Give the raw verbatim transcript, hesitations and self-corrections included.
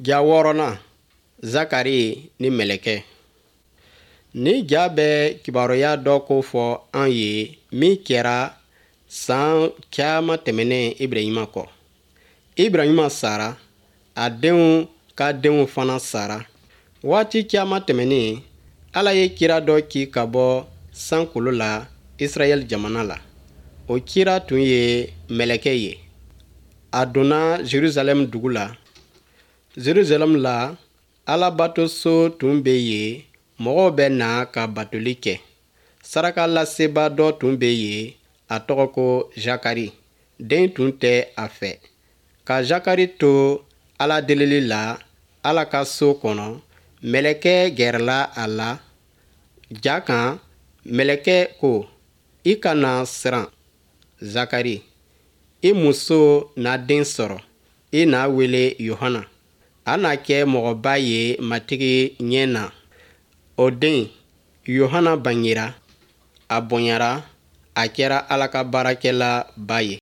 Ja wɔɔrɔnan, Zakari ni mɛlɛkɛ. Ni ja bɛ kibaruya dɔ ko fɔ an ye min kɛra san caman tɛmɛnen Ibrahima kɔ. Ibrahima sara, a denw ka denw fana sara. Waati caman tɛmɛnen, Ala ye kira dɔ ci ka bɔ sankolo la Israɛl jamana la. O kira tun ye mɛlɛkɛ ye. A donna Jerusalɛm dugu la. Jerusalɛm la, Alabatoso tun bɛ yen, mɔgɔw bɛ na ka batoli kɛ. Sarakalaseba dɔ tun bɛ yen, a tɔgɔ ko Zakari. Den tun tɛ a fɛ. Ka Zakari to Ala delili la Ala ka so kɔnɔ, mɛlɛkɛ gɛrɛla a la. Ja kan, mɛlɛkɛ ko, i kana siran, Zakari. I muso na den sɔrɔ, i n'a wele Yohana. A na kɛ mɔgɔba ye Matigi ɲɛ na. O den, Yohana bangera, a bonyara, a kɛra Ala ka baarakɛlaba ye.